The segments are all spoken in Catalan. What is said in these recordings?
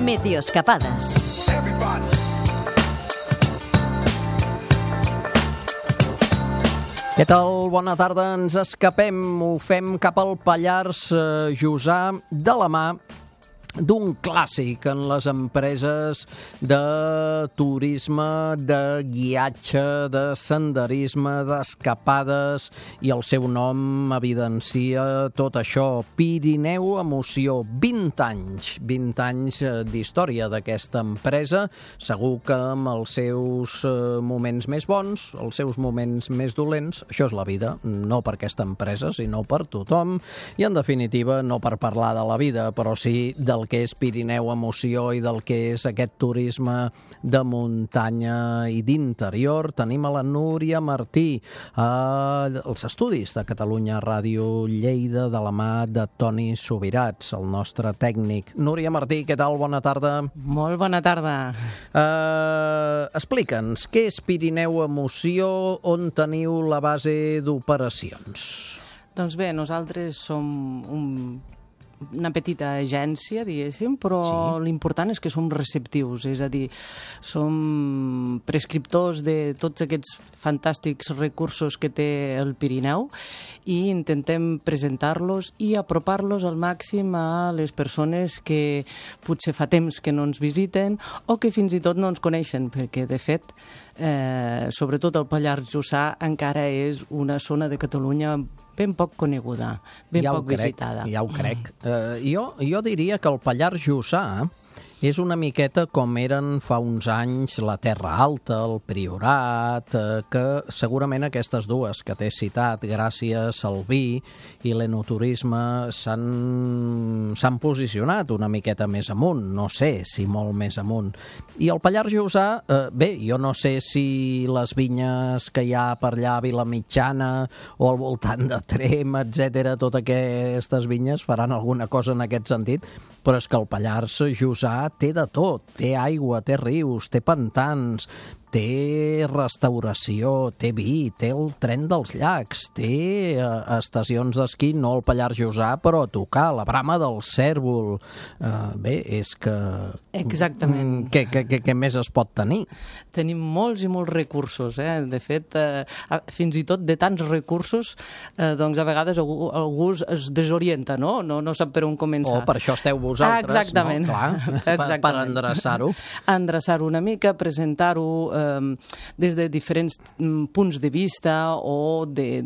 Meteoscapades. Què tal? Bona tarda. Ens escapem, ho fem cap al Pallars Jussà de la mà d'un clàssic en les empreses de turisme, de guiatge, de senderisme, d'escapades, i el seu nom evidencia tot això. Pirineu Emoció, 20 anys, 20 anys d'història d'aquesta empresa, segur que amb els seus moments més bons, els seus moments més dolents. Això és la vida, no per aquesta empresa, sinó per tothom, i en definitiva no per parlar de la vida, però sí del que és Pirineu Emoció i del que és aquest turisme de muntanya i d'interior. Tenim a la Núria Martí als estudis de Catalunya Ràdio Lleida, de la mà de Toni Subirats, el nostre tècnic. Núria Martí, què tal? Bona tarda. Molt bona tarda. Explica'ns, què és Pirineu Emoció, on teniu la base d'operacions? Doncs bé, nosaltres som una petita agència, diguéssim, però sí, l'important és que som receptius, és a dir, som prescriptors de tots aquests fantàstics recursos que té el Pirineu i intentem presentar-los i apropar-los al màxim a les persones que potser fa temps que no ens visiten o que fins i tot no ens coneixen, perquè, de fet, sobretot el Pallars Jussà encara és una zona de Catalunya ben poc coneguda, ben poc visitada. Ja ho crec. Jo diria que el Pallars Jussà és una miqueta com eren fa uns anys la Terra Alta, el Priorat, que segurament aquestes dues que t'he citat, gràcies al vi i l'enoturisme, s'han posicionat una miqueta més amunt, no sé si molt més amunt. I el Pallars Jussà, bé, jo no sé si les vinyes que hi ha per allà a Vilamitjana o al voltant de Tremp, etc., totes aquestes vinyes faran alguna cosa en aquest sentit, però és que el Pallars Jussà té de tot, té aigua, té rius, té pantans, té restauració, té vi, té el tren dels llacs, té estacions d'esquí, no al Pallars Jussà, però a tocar, la Brama del Cérvol. Bé, és que... Exactament. Què més es pot tenir? Tenim molts i molts recursos, De fet, fins i tot de tants recursos, doncs a vegades algú es desorienta, no? No sap per on començar. Per això esteu vosaltres, exactament. No? Clar, exactament. Per endreçar-ho. Endreçar-ho una mica, presentar-ho des de diferents punts de vista o des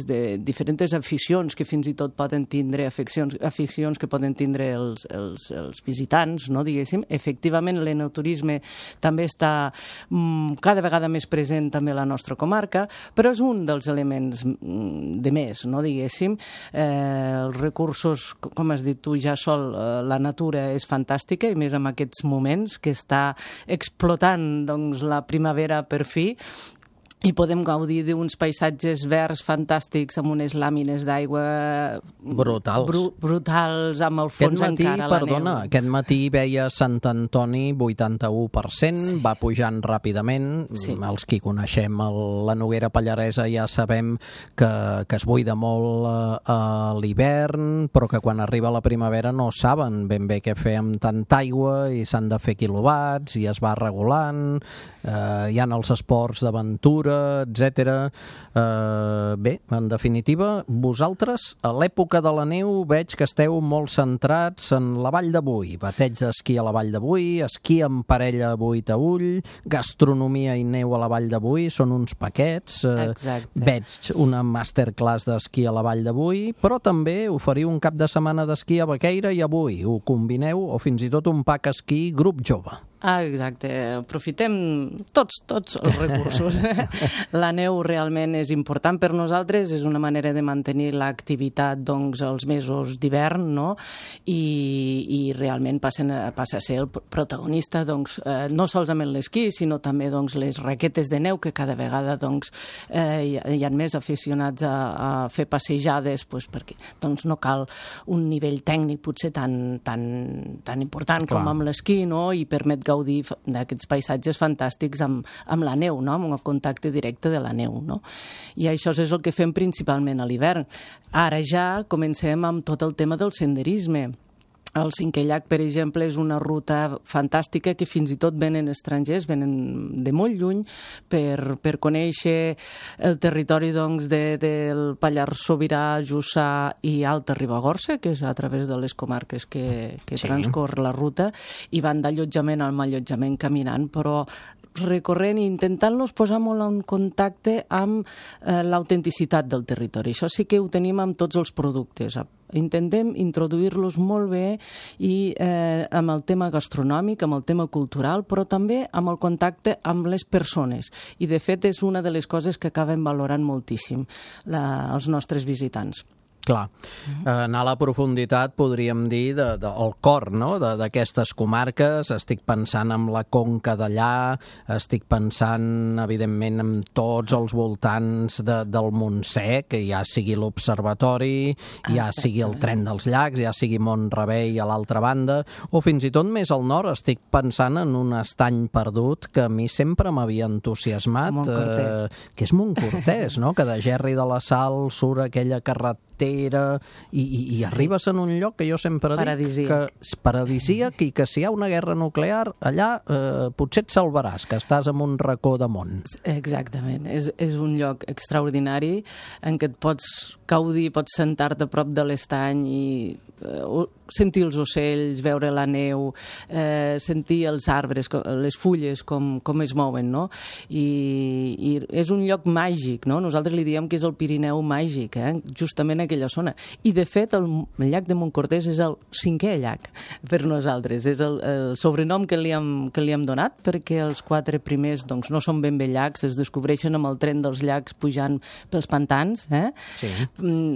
de diferents aficions que fins i tot poden tindre, aficions que poden tindre els visitants, no, diguéssim. Efectivament, l'enoturisme també està cada vegada més present també a la nostra comarca, però és un dels elements de més, no, diguéssim. Els recursos, com has dit tu, ja sol, la natura és fantàstica, i més en aquests moments que està explotant, doncs, la primavera per fi, i podem gaudir d'uns paisatges verds fantàstics amb unes làmines d'aigua brutals, amb el fons encara la neu. Aquest matí veia Sant Antoni 81%, sí, va pujant ràpidament. Sí. Els qui coneixem la Noguera Pallaresa ja sabem que es buida molt a l'hivern, però que quan arriba la primavera no saben ben bé què fer amb tanta aigua i s'han de fer quilowatts i es va regulant. Hi ha els esports d'aventura, etc. Bé, en definitiva, vosaltres a l'època de la neu veig que esteu molt centrats en la Vall de Boí, bateig d'esquí a la Vall de Boí, esquí en parella a Boí-Taüll, gastronomia i neu a la Vall de Boí, són uns paquets. Veig una masterclass d'esquí a la Vall de Boí, però també oferiu un cap de setmana d'esquí a Baqueira i a Boí. Ho combineu, o fins i tot un pack esquí grup jove. Exacte, aprofitem tots els recursos. La neu realment és important per nosaltres, és una manera de mantenir l'activitat, doncs, els mesos d'hivern, no? I realment passa a ser el protagonista, doncs, no sols amb l'esquí, sinó també, doncs, les raquetes de neu, que cada vegada, doncs, hi ha més aficionats a fer passejades, doncs, perquè, doncs, no cal un nivell tècnic potser tan important com amb l'esquí, no? I permet gaudir d'aquests paisatges fantàstics amb la neu, no? Amb el contacte directe de la neu, no? I això és el que fem principalment a l'hivern. Ara ja comencem amb tot el tema del senderisme. El Cinquè Llac, per exemple, és una ruta fantàstica que fins i tot venen estrangers, venen de molt lluny per conèixer el territori doncs, del Pallars Sobirà, Jussà i Alta Ribagorça, que és a través de les comarques que transcorre la ruta, i van d'allotjament al allotjament caminant, però recorrent i intentant-los posar molt en contacte amb l'autenticitat del territori. Això sí que ho tenim amb tots els productes. Intentem introduir-los molt bé i amb el tema gastronòmic, amb el tema cultural, però també amb el contacte amb les persones. I, de fet, és una de les coses que acaben valorant moltíssim els nostres visitants. Clar, anar a la profunditat, podríem dir, el cor, no?, d'aquestes comarques. Estic pensant en la conca d'allà, estic pensant, evidentment, en tots els voltants del Montsec, que ja sigui l'observatori, ja sigui el tren dels llacs, ja sigui Mont-rebei a l'altra banda, o fins i tot més al nord estic pensant en un estany perdut que a mi sempre m'havia entusiasmat, que és Montcortès, no?, que de Gerri de la Sal surt aquella carretera i arribes en un lloc que jo sempre dic que és paradisíac i que si hi ha una guerra nuclear allà potser et salvaràs, que estàs en un racó de món. Exactament, és un lloc extraordinari en què et pots gaudir, pots sentar-te a prop de l'estany i sentir els ocells, veure la neu, sentir els arbres, les fulles, com es mouen, no? I és un lloc màgic, no? Nosaltres li diem que és el Pirineu màgic, justament aquella zona. I, de fet, el llac de Montcortès és el 5è llac per nosaltres. És el sobrenom que li hem donat, perquè els 4 primers doncs, no són ben bé llacs, es descobreixen amb el tren dels llacs pujant pels pantans, Sí.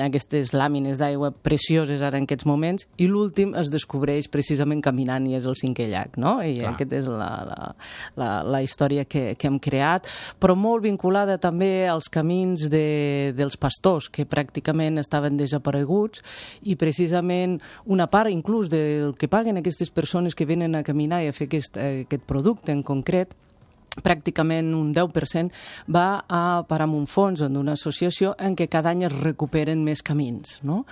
Aquestes làmines d'aigua precioses ara en aquests moments, i l'últim es descobreix precisament caminant i és el 5è llac, no? I aquesta és la història que hem creat, però molt vinculada també als camins dels pastors, que pràcticament estaven desapareguts, i precisament una part inclús del que paguen aquestes persones que venen a caminar i a fer aquest producte en concret, pràcticament un 10% va a parar en un fons d'una associació en què cada any es recuperen més camins, no?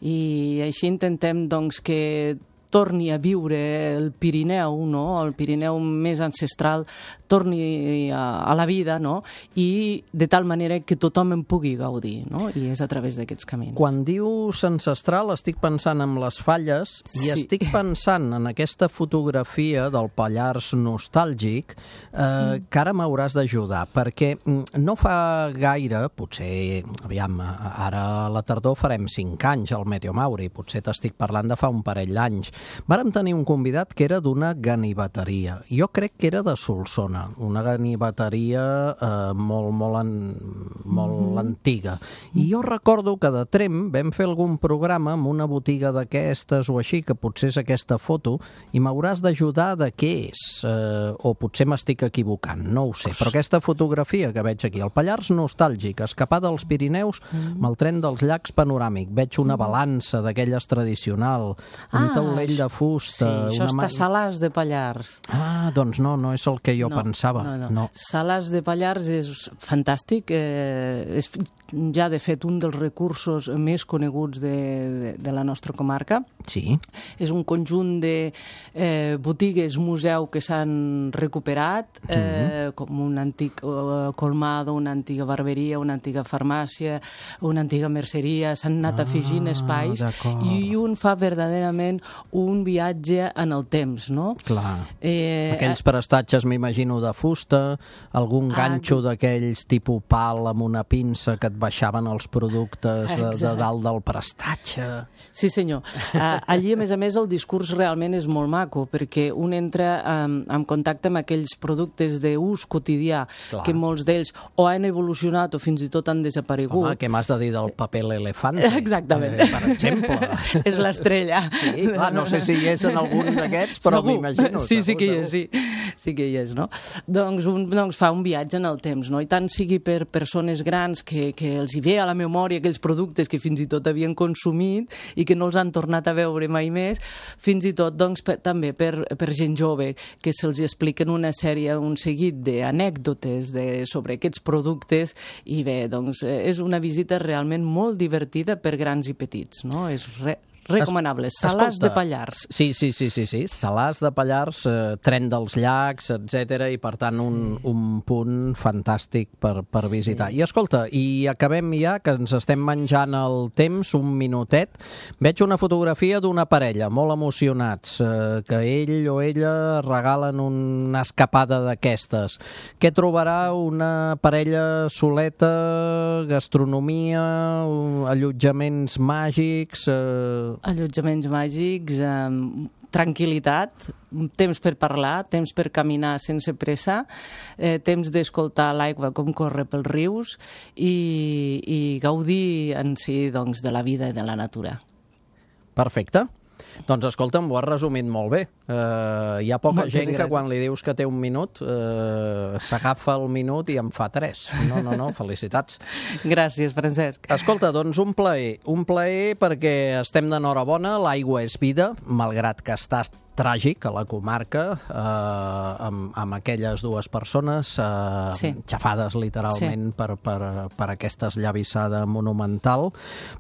I així intentem doncs, que torni a viure el Pirineu, no? El Pirineu més ancestral torni a la vida, no? I de tal manera que tothom en pugui gaudir, no? I és a través d'aquests camins. Quan dius ancestral estic pensant en les falles i estic pensant en aquesta fotografia del Pallars nostàlgic que ara m'hauràs d'ajudar, perquè no fa gaire, potser, aviam, ara a la tardor farem 5 anys al Meteo Mauri, potser t'estic parlant de fa un parell d'anys. Vàrem tenir un convidat que era d'una ganiveteria. Jo crec que era de Solsona, una ganiveteria molt antiga. I jo recordo que de Tremp vam fer algun programa amb una botiga d'aquestes o així, que potser és aquesta foto, i m'hauràs d'ajudar de què és. O potser m'estic equivocant, no ho sé. Però aquesta fotografia que veig aquí, el Pallars nostàlgic, escapada als Pirineus amb el tren dels llacs panoràmic. Veig una balança d'aquelles tradicional, un taulell de fusta... Sí, això està a Salàs de Pallars. Doncs no és el que jo pensava. No. Salàs de Pallars és fantàstic, és ja de fet un dels recursos més coneguts de la nostra comarca. Sí. És un conjunt de botigues museu que s'han recuperat, com un antic colmado, una antiga barberia, una antiga farmàcia, una antiga merceria, s'han anat afegint espais i un fa verdaderament un viatge en el temps, no? Clar. Aquells prestatges, m'imagino, de fusta, algun ganxo d'aquells tipus pal amb una pinça que et baixaven els productes de dalt del prestatge. Sí, senyor. Allí, a més, el discurs realment és molt maco, perquè un entra en contacte amb aquells productes d'ús quotidià, que molts d'ells o han evolucionat o fins i tot han desaparegut. Home, què m'has de dir del paper l'elefante? Exactament. Per exemple. És l'estrella. Sí, no sé si hi és en algun d'aquests, però m'imagino. Sí que hi és, sí que hi és, no? Doncs fa un viatge en el temps, no? I tant sigui per persones grans que els hi ve a la memòria aquells productes que fins i tot havien consumit i que no els han tornat a veure mai més, fins i tot doncs, també per gent jove, que se'ls expliquen un seguit d'anècdotes sobre aquests productes, i bé, doncs és una visita realment molt divertida per grans i petits, no? És recomanables. Salàs de Pallars. Sí. Salàs de Pallars, tren dels llacs, etc. I, per tant, un punt fantàstic per visitar. I, escolta, i acabem ja, que ens estem menjant el temps, un minutet. Veig una fotografia d'una parella, molt emocionats, que ell o ella regalen una escapada d'aquestes. Què trobarà una parella soleta, gastronomia, allotjaments màgics... Allotjaments màgics, tranquil·litat, temps per parlar, temps per caminar sense pressa, temps d'escoltar l'aigua com corre pels rius i gaudir en si doncs, de la vida i de la natura. Perfecte. Doncs escolta'm, ho has resumit molt bé. Hi ha poca gent que quan li dius que té un minut s'agafa el minut i en fa 3. No, felicitats. Gràcies, Francesc. Escolta, doncs un plaer perquè estem d'enhorabona, l'aigua és vida, malgrat que està tràgic a la comarca, amb aquelles dues persones xafades literalment per aquesta esllavissada monumental,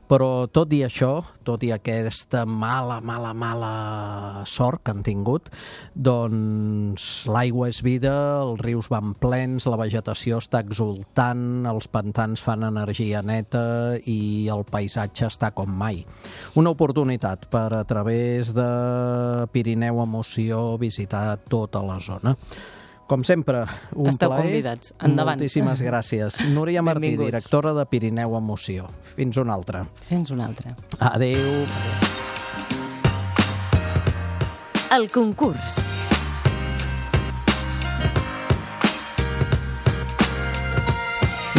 però tot i això, tot i aquesta mala sort que han tingut, doncs l'aigua és vida, els rius van plens, la vegetació està exultant, els pantans fan energia neta i el paisatge està com mai. Una oportunitat per, a través de Pirineu Emoció, visitar tota la zona. Com sempre, un Esteu plaer. Convidats. Endavant. Moltíssimes gràcies. Núria Martí, directora de Pirineu Emoció. Fins una altra. Fins una altra. Adéu. El concurs.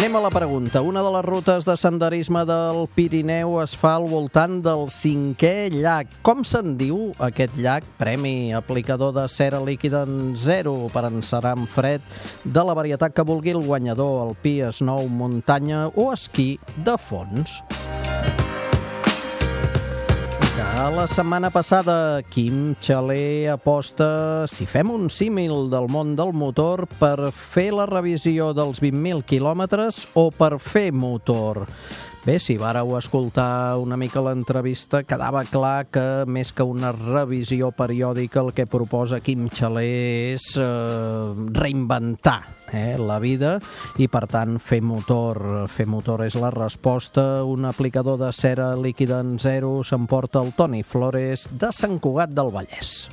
Anem a la pregunta. Una de les rutes de senderisme del Pirineu es fa al voltant del 5è llac. Com se'n diu aquest llac? Premi aplicador de cera líquida en 0 per encerar en fred de la varietat que vulgui el guanyador, alpí, snow, muntanya o esquí de fons. La setmana passada, Quim Xaler aposta, si fem un símil del món del motor, per fer la revisió dels 20.000 quilòmetres o per fer motor. Bé, si vàreu escoltar una mica l'entrevista, quedava clar que més que una revisió periòdica el que proposa Quim Xaler és reinventar la vida i, per tant, fer motor. Fer motor és la resposta. Un aplicador de cera líquida en 0 s'emporta el Toni Flores de Sant Cugat del Vallès.